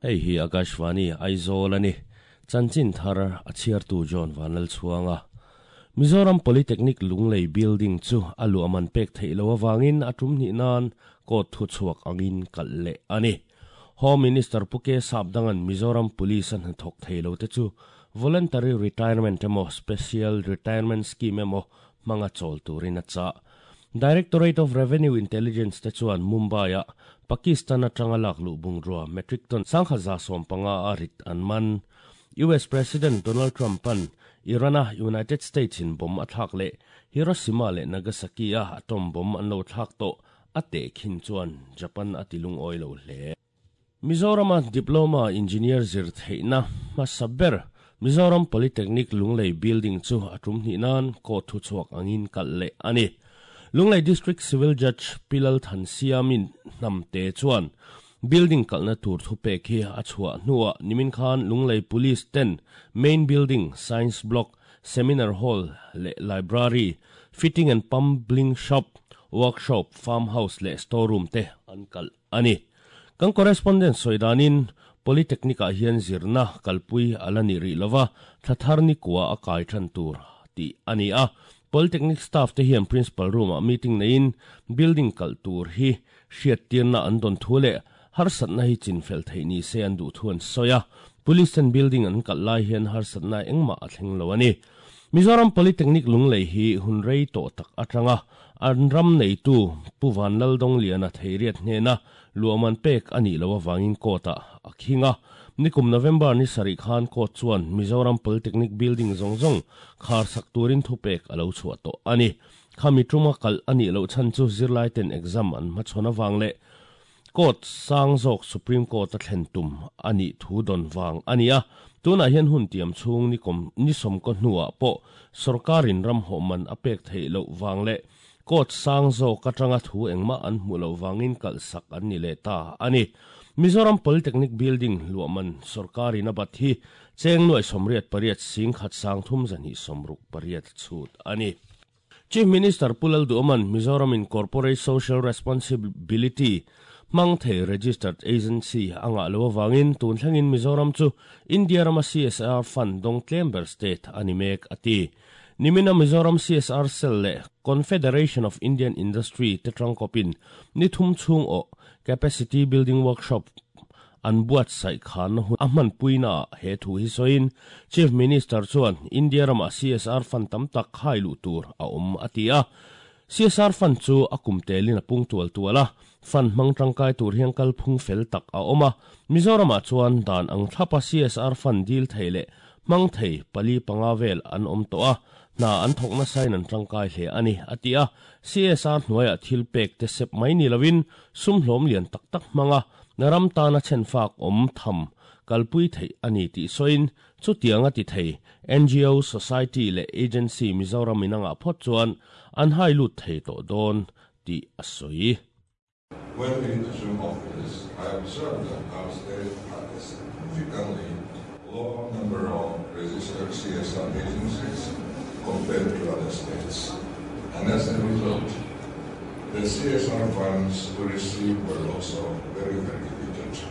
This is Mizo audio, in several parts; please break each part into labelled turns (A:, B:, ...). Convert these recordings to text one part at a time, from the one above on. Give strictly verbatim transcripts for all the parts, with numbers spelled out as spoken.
A: Hei hi Akashvani Aizawl ani. Chanchin thar a chhiartu John Vanlal chuanga. Mizoram Polytechnic Lunglei building chu alu aman pek theilo awangin atum ni nan court thu chuak angin kal le ani. Home Minister Puke Sapdangan Mizoram Police an thok theilo te chu voluntary retirement emo special retirement scheme emo manga chol turin a cha. Directorate of Revenue Intelligence te chuan Mumbai a Pakistan atanga lak lu bungrua metric ton sangkhaza som panga arit an man. U S President Donald Trump an Irana United States in bomb athak le Hiroshima le Nagasaki a atom bomb an lo thak to ate khin chuan Japan atilung oilo hle. Mizoram diploma engineer zir theina masaber Mizoram Polytechnic Lunglei building chu atum ni nan ko thu chuak angin kal le ani. Lunglei District Civil Judge Pilal Thansiamin namte chuan building kalna tur thu pek hi a chhuah hnuah nimin khan Lunglei Police ten main building, science block, seminar hall le library, fitting and plumbing shop, workshop, farmhouse le storeroom te an kal ani. Kan correspondent soidanin Polytechnic ah hian zirna kalpui alani ri lova thathar ni kwa a kai than tur ti ani a. Polytechnic staff te hian principal room a meeting nein building kal tur hi hriat tirna an don thu le har satna hi chin fel thei ni se an du thuan soya. Police and building an kal lai hian har satna engma a thleng lo ani. Mizoram Polytechnic Lunglei hi hunrei to tak atanga an ram nei tu Puvan Laldong liana theiriat hnena luaman pek ani lo awangin kota akhinga. Nikum November ni sari khan ko chuan Mizoram Polytechnic building zong zong khar sak turin thu pek alo chhuah to ani. Khami tuma kal ani lo chan chu zirlai ten exam an ma chhona wangle court sang zok Supreme Court a thlen tum ani thu don wang ania. Tuna hian hun tiam chung ni kom ni som ko hnuwa po sarkarin ram ho man apek thei lo wangle court sang zok atanga thu engma an hmu lo wangin kal sak an ni le ta ani. Mizoram Polytechnic building luaman sarkarin abat hi cheng nuai somriat pariat sing khat sang thum zani somruk pariat chut ani. Chief Minister Pulal Duoman Mizoram in Corporate Social Responsibility mang thei registered agency anga lo wangin tun thlengin Mizoram chu India rama C S R fund dong tlember state animek ati. Nimina Mizoram C S R cell le Confederation of Indian Industry te tangkopin ni thum chung o capacity building workshop an buat sai khan hu ahman puina he thu hi soin Chief Minister chuan India rama C S R fund tam tak khai lu tur a om atia. C S R fund chu akum telin a pung tual tuala fund mang tangkai tur hiang kal phung fel tak a oma. Mizoram a chuan dan ang thlapa C S R fund dil theile mang thei pali panga vel an om to a na an thokna sain an tangkai hle ani atia. C S R hnuaia thil pek te sep mai ni lovin sum hlawm lian tak tak manga naram tana chen fak om tham kalpui thei ani ti soin chu tianga ti thei N G O society le agency Mizoram inanga phot chuan an hai lut thei to don ti asoi.
B: When we assume office, I observed that our state had a significantly lower number of registered C S R agencies compared to other states. And as a result, the C S R funds we received were also very, very limited.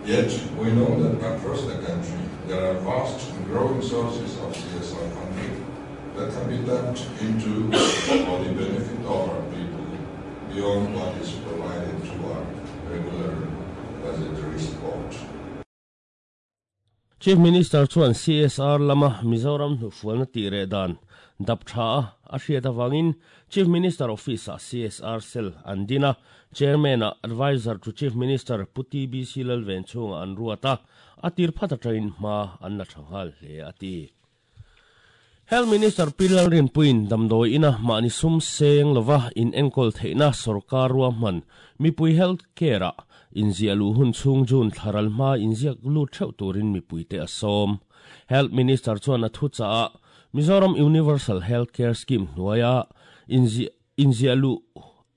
B: Yet, we know that across the country, there are vast and growing sources of C S R funding that can be tapped into for the benefit of our people beyond what is provided to our regular budgetary support.
A: Chief Minister chuan C S R lama Mizoram hnu fualna ti re dan dap tha a hriat awangin Chief Minister Office a C S R cell an dina Chairman a Advisor to Chief Minister Puti B C Lalven chunga an ruata atir phata train ma an la thanghal hle ati. Health Minister Pilal Rinpuin damdoi ina mani sum seng lova in enkol theina sarkar ruwa man mipui health care a inzia lu hun chung jun tharal ma inzia lu theu turin mipui te asom. Health Minister chuan a thu cha a Mizoram Universal Health Care Scheme hnuaia inzia inzia lu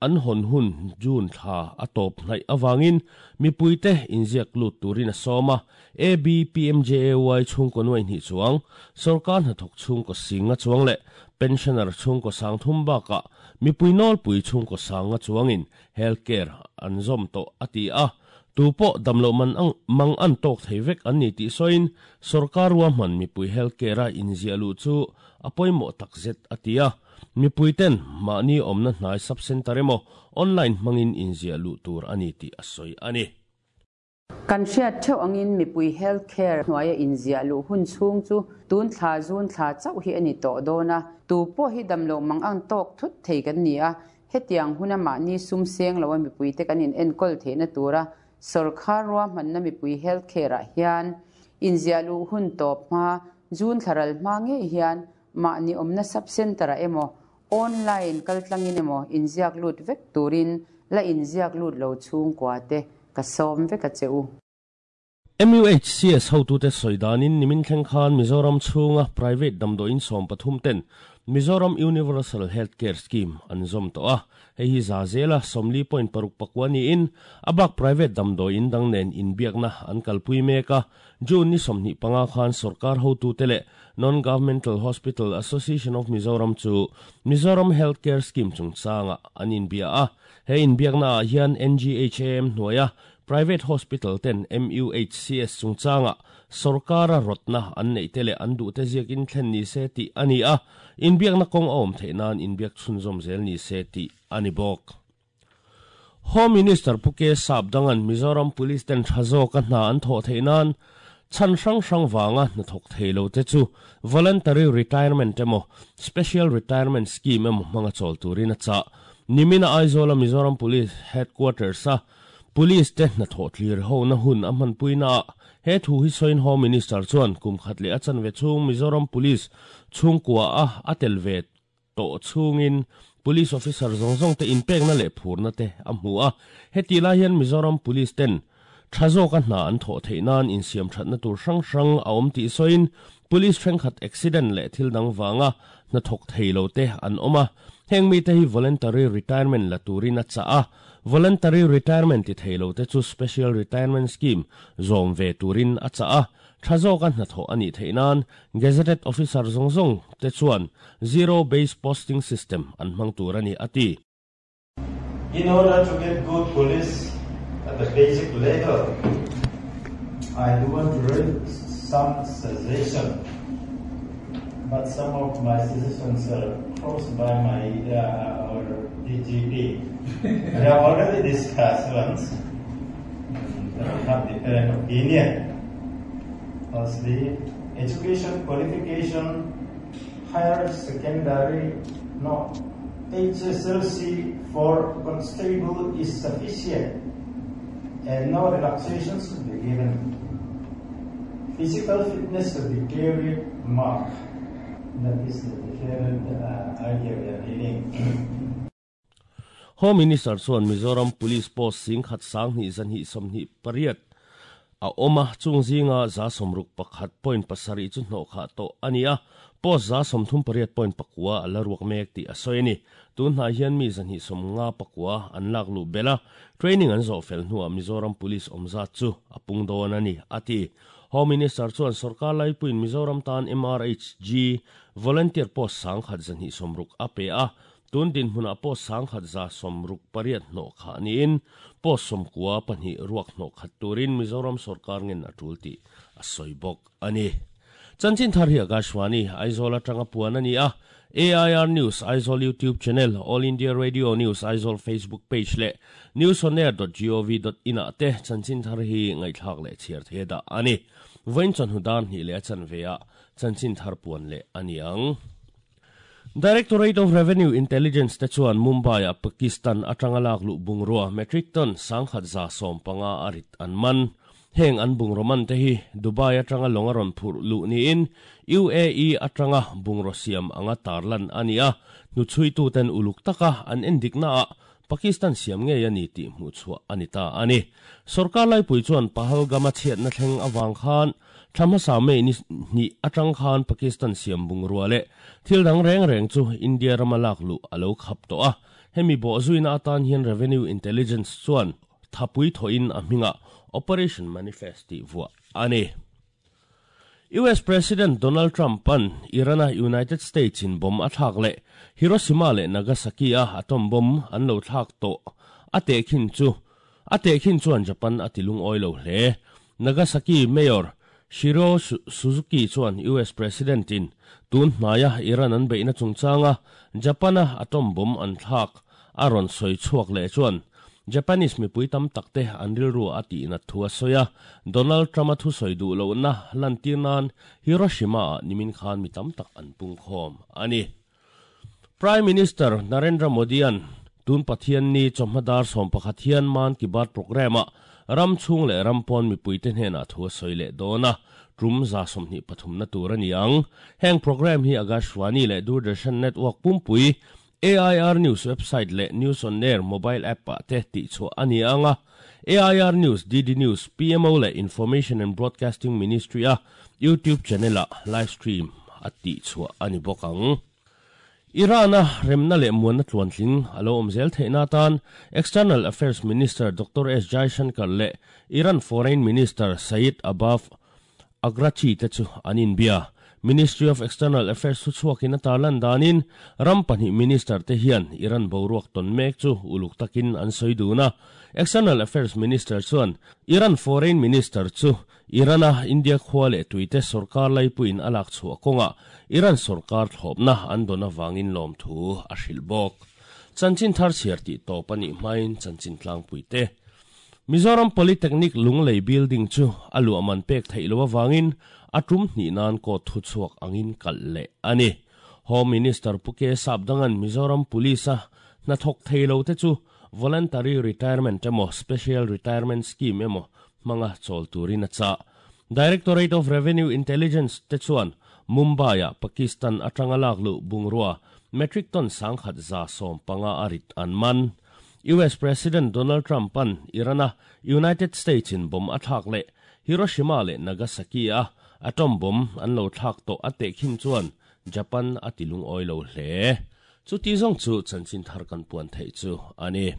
A: an hon hun jun tha atop hnai awangin mipui te inziak lut turin a sawma. A B P M J A Y chung ko nuai hnih chuang sarkar hnathawk chung ko singa chuang le pensioner chung ko sang thum baka mipui nawl pui chung ko sanga chuangin healthcare an zom to ati a. Tu pawh damlo man ang mang an tawk thei vek an ni tih sawiin sarkar ruahman mipui healthcare a inziah luh chu a pawimawh takzet a ti a. Mipui ten mahni awmna hnai sub center emaw online hmangin inziah luh tur a ni tih a sawi a ni.
C: Kan hriat theuh angin mipui healthcare hnuaia inziah luh hun chhung chu tun thla June thla chauh hi a ni tawh dawn a. Tu pawh hi damlo mang ang tawk thut thei kan ni a. Hetiang huna mahni sum seng lo a mipui te kan in enkawl theihna tura sarkar ruahmanna mipui healthcare ah hian inziah luh hun tawp hma June thla ral hma ngei hian mahni awmna sub center ah emaw online kaltlangin emaw inziak lut vek turin la inziak lut lo chhungkua te ka sawm vek a che u.
A: M U H C S hotute sawidanin nimin thleng khan Mizoram chhunga private damdawiin sawm pathum ten Mizoram Universal Healthcare Scheme an zawm tawh a. Hei hi za zela sawmli point paruk pakua niin abak private damdawiin dang nen inbiakna an kalpui mek a. June ni sawmhnih panga khan sarkar hotute leh Non-Governmental Hospital Association of Mizoram chu Mizoram Healthcare Scheme chungchanga an inbia a. He inbiakna ah hian N G H A M hnuaia private hospital ten M U H C S chungchanga sarkara rotna an nei te leh an duh te ziak in thlen ni se tih a ni a. Inbiakna kawng a awm theih nan inbiak chhunzawm zel ni se tih a ni bawk. Home Minister Pu K Sapdangan Mizoram Police ten tha zawk a hna an thawh theih nan chan hrang hrang wanga hnathawk theilo te chu voluntary retirement emaw special retirement scheme emaw hmanga chawl turin a chah. Nimina Aizawl a Mizoram Police Headquarters a police te hnathawh thlir ho na hun a hmanpui na ah he thu hi sawiin Home Minister chuan kum khat leh a chanve chhung Mizoram Police chhungkua a a tel ve tawh chhungin police officer zawng zawng te inpekna leh phurna te a hmu a. Heti lai hian Mizoram Police ten tha zawk a hna an thawh theih nan insiam thatna tur hrang hrang a awm tih sawiin police thenkhat accident leh thil dang wanga hnathawk theilo te an awm a. Heng mi te hi voluntary retirement la turin a chah a. Voluntary retirement ti theilo te chu special retirement scheme zawm ve turin a chah a. Tha zawk a hnathawh ani theih nan gazetted officer zawng zawng te chuan zero base posting system an hmang tur ani a ti.
D: In order to get good police at the basic level, I do want to raise some suggestion, but some of my suggestions are crossed by my uh, our D G P. We have already discussed once, and we have different opinion. Firstly, education qualification, higher secondary, no, H S L C for constable is sufficient and no relaxation should be given. Physical fitness should be clearly marked. That is the different uh, idea we are dealing.
A: Home Minister chuan Mizoram Police Post sing khat sang hnih zanhnih sawmhnih pariat a awm a, chung zinga za sawmruk pakhat point pasarih chu hnawh khah tawh a ni a. Post za sawmthum pariat point pakua a la ruak mek tih a sawi a ni. Tun hnai hian mi zanhnih sawm nga pakua an lak luh bel a. Training an zawh fel hnuah Mizoram Police awmzat chu a pung dawn a ni a ti. Home Minister chuan sarkar laipuiin Mizoram tan M R H G volunteer post sang khat zanhnih sawmruk a pe a. Tun din hmunah post sang khat za sawmruk pariat hnawh khah niin post sawmkua pahnih ruak hnawh khat turin Mizoram sarkar ngen a tul tih a sawi bawk a ni. Chanchin thar hi Akashvani Aizawl atanga puan a ni a. A I R News Aizawl YouTube channel, All India Radio News Aizawl Facebook page leh newsonair dot gov dot in ah te chanchin thar hi ngaihthlak leh chhiar the dah a ni. Vawiin chawhnu dar hnih leh a chanve ah chanchin thar puan leh a ni ang. Directorate of Revenue Intelligence te chuan Mumbai a Pakistan atanga lak luh bungrua metric ton sangkhat za sawm panga arit an man. Heng an bungro man te hi Dubai atanga longa rawn phurh luh niin U A E atanga bungro siam anga tarlan ani a. Nu chui tu ten uluk taka an endikna a Pakistan siam nge ani tih hmuh chhuah ani ta ani. Sarkar laipui chuan Pahalgama chhiat na thleng awang khan thla hmasa mei ni ni atang khan Pakistan siam bungrua leh thil dang reng reng chu India rama lak luh alo khap tawh a. Hemi bo zuina atan hian Revenue Intelligence chuan thapui thoin a hminga Operation Manifest ti vuah ani. U S President Donald Trump an Irana United States in bomb a thlak leh Hiroshima leh Nagasaki a atom bomb an lo thlak tawh a te khin chu A te khin chuan Japan a tilung oilo hle. Nagasaki Mayor Shiro Suzuki chuan U S President in tun hnaya Iran an beina chungchanga Japana atom bomb an thlak a rawn sawi chhuak leh chuan Japanese mipui tam takte an rilru a ti na thua soya. Donald Trump a thu soi du lo na lantir nan Hiroshima nimin khan mi tam tak an pung khom ani. Prime Minister Narendra Modi an tun Pathian ni chawhmadar som pakhat hian Man Ki Baat program a ram chung le ram pawn mipui te hnena thu soi le dona tum za somni pathum na tur ani ang. Heng program hi Akashvani le Doordarshan network pumpui, A I R News website le News on Air mobile app pa te ti chu ani anga. A I R News, D D News, P M O le Information and Broadcasting Ministry a YouTube channel a live stream ati chu ani bokang. Irana remna le muan tluan tling alo omzel theina tan External Affairs Minister Doctor S Jaishankar le Iran Foreign Minister Said Abbas Araghchi te chu anin bia. Ministry of External Affairs chu chuakin a tarlan danin ram pahnih minister te hian Iran boruak ton mek chu uluk takin an soi duna. External Affairs Minister chuan Iran Foreign Minister chu Irana India khwale tuite sarkar laipuin alak chu konga Iran sarkar thlopna an dona wangin lom thu a hril bok. Chanchin thar chiar ti to pani main chanchin tlang puite. Mizoram Polytechnic Lunglei building chu alu aman pek theilo wangin atum ni nan ko thu chuak angin kal le ani. Home Minister Puke Sapdangan Mizoram Police a na thok theilo te chu voluntary retirement emo special retirement scheme emo manga chol turin a cha. Directorate of Revenue Intelligence te chuan Mumbai a Pakistan atanga laklu bungrua metric ton sangkhat za som panga arit an man. U S President Donald Trump an Irana United States in bom athak le Hiroshima le Nagasaki a atom bomb an lo thak to ate khin chuan Japan atilung oilo hle. Chu ti zong chu chanchin thar kan puan thei chu ani.